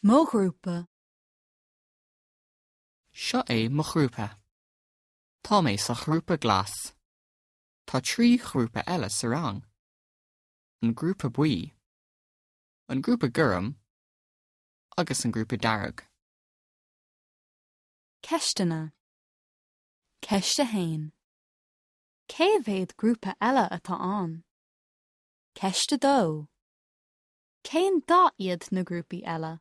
Mo ghrúpa. Seo é mo ghrúpa. Tá mé sa ghrúpa glas. Tá 3 ghrúpa eile sa rang. An grúpa buí, an grúpa gorm agus an grúpa dearg. Ceisteanna. Ceist 1. Cé mhéad grúpa eile atá ann? Ceist 2. Cén dath iad na grúpaí eile?